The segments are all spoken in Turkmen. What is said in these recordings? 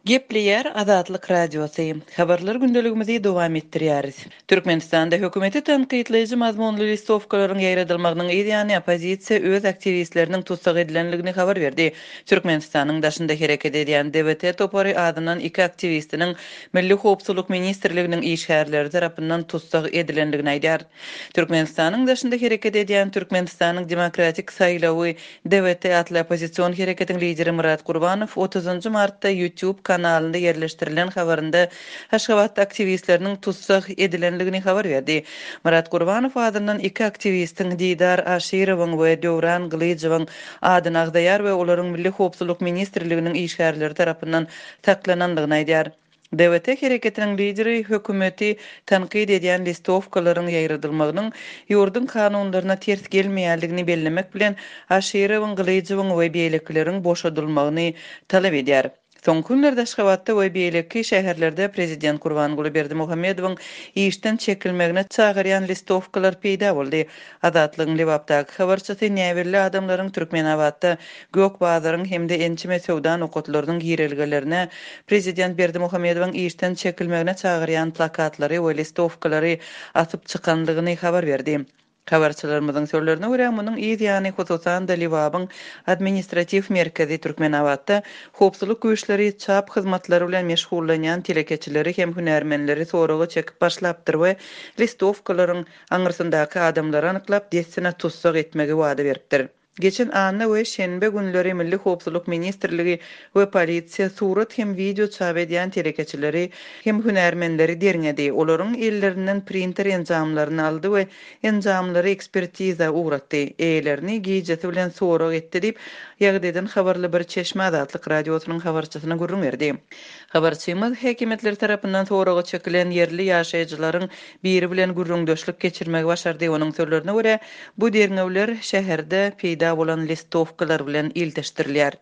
Gepleýär Azatlyk Radiosy. Habarlar gündeligimizi dowam etdirýäris. Türkmenistanda hökümeti tankytlaýjy mazmunly listowkalaryň ýaýradylmagynyň yz ýany oppozisiýa öz aktiwistleriniň tussag edilendigini habar berdi. Türkmenistanyň daşynda hereket edýän DWT topary azyndan iki aktiwistiniň Milli howpsuzlyk ministrliginiň işgärleri tarapyndan tussag edilendigini aýdýar. Türkmenistanyň daşynda hereket edýän Türkmenistanyň Demokratik saýlawy DWT atly oppozision hereketiň lideri Myrat Gurbanow otuzynjy martda YouTube kanalynda ýerleşdirilen habarynda Aşgabatda aktiwistleriniň tussag edilendigini habar berdi. Myrat Gurbanow azyndan iki aktiwistiň Didar Aşyrowyň we Döwran Gylyjowyň adyny agzaýar we olaryň Milli howpsuzlyk ministrliginiň işgärleri tarapyndan saklanandygyny aýdýar. DWT hereketiniň lideri hökümeti tankyt edýän listowkalaryň ýaýradylmagynyň ýurduň kanunlaryna ters gelmeýändigini bellemek bilen, Aşyrowyň, Gylyjowyň we beýlekileriň boşadylmagyny talap edýär. Soňky günlerde Aşgabatda we beýleki şäherlerde prezident Gurbanguly Berdimuhamedowyň işden çekilmegine çagyrýan listowkalar peýda boldy. Azatlygyň Lebapdaky habarçysy näbelli adamlaryň Türkmenabatda Gök bazaryň hem-de ençeme söwda nokatlarynyň girelgelerine prezident Berdimuhamedowyň işden çekilmegine çagyrýan plakatlary we listowkalary asyp çykandygyny habar berdi. Habarçylarymyzyň sözlerine görä, munuň yz ýany, hususan-da, Lebabyň administratiw merkezi Türkmenabatda howpsuzlyk güýçleri çap hyzmatlary bilen meşgullanýan telekeçileri hem hünärmenleri soraga çekip başlapdyr we listowkalaryň aňyrsyndaky adamlary anyklap, dessine tussag etmegi wada beripdir. Geçen anna we şenbe günleri Milli howpsuzlyk ministrligi we polisiýa surat hem wideo çap edýän telekeçileri hem hünärmenleri derňedi. Olaryň ellerinden printer enjamlaryny aldy we enjamlary ekspertiza ugratdy. Eýelerini gijesi bilen sorag etdi diýip, ýagdaýdan habarly bir çeşme Azatlyk Radiosynyň habarçysyna gürrüň berdi. Habarçymyz häkimiýetler tarapyndan soraga çekilen ýerli ýaşaýjylaryň biri bilen gürrüňdeşlik geçirmegi başardy. Onuň sözlerine görä, bu derňewler şäherde peýda bolan listowkalar bilen ilteşdirilýär.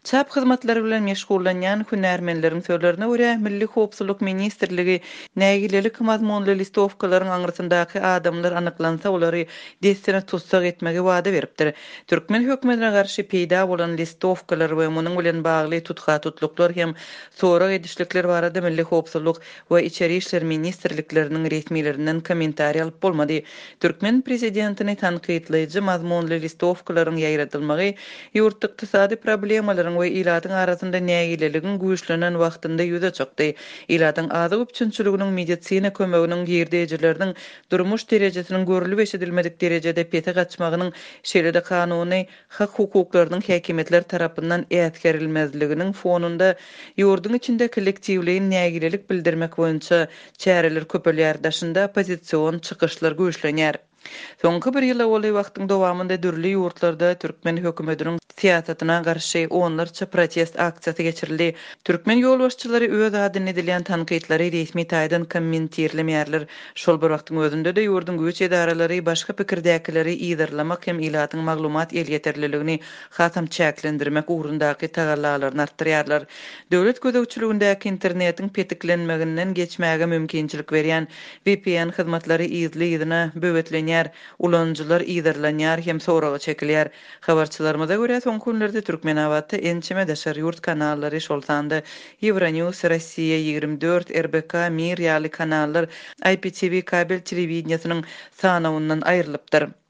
Çap hyzmatlary bilen meşgullanýan hünärmenleriň sözlerine görä, Milli howpsuzlyk ministrligi nägilelik mazmunly listowkalaryň aňyrsyndaky adamlar anyklansa, olary dessine tussag etmegi wada beripdir. Türkmen hökümetine garşy peýda bolan listowkalar we munuň bilen bagly tutha-tutluklar hem sorag edişlikler barada Milli howpsuzlyk we Içeri işler ministrlikleriniň resmilerinden kommentariý alyp bolmady. Türkmen prezidentini tankytlaýjy mazmunly listowkalaryň ýaýradylmagy ýurtda ykdysady problemalaryň we ilatyň arasynda nägileligiň güýçlenen wagtynda ýüze çykdy. Ilatyň azyk üpjünçiliginiň, medisina kömeginiň, girdejileriniň, durmuş derejesiniň görlüp-eşidilmedik derejede pese gaçmagynyň, şeýle-de kanuny hak-hukuklarynyň häkimiýetler tarapyndan äsgerilmezliginiň fonunda ýurduň içinde kollektiwleýin nägilelik bildirmek boýunça çäreler köpelýär, daşynda oppozision çykyşlar güýçlenýär. Soňky bir ýyla golaý wagtyň dowamynda dürli ýurtlarda türkmen hökümetiniň syýasatyna garşy onlarça protest aksiýasy geçirildi. Türkmen ýolbaşçylary öz adyna edilýän tankytlary resmi taýdan kommentirlemeýärler. Şol bir wagtyň özünde-de ýurduň güýç edaralary başga pikirdäkileri yzarlamak hem ilatyň maglumat elýeterliligini hasam çäklendirmek ugrundaky tagallalaryny artdyrýarlar. Döwlet gözegçiligindäki internetiň petiklenmeginden geçmäge mümkinçilik berýän vpn hyzmatlary yzly-yzyna böwetlenýär, ulanyjylar yzarlanýar hem soraga çekilýär. Habarçylarymyza görä, soňky günlerde Türkmenabatda ençeme daşary ýurt kanallary, şol sanda Euronews, Rossiýa 24, RBK, Mir ýaly kanallar IPTV kabel telewideniýesiniň sanawyndan aýrylypdyr.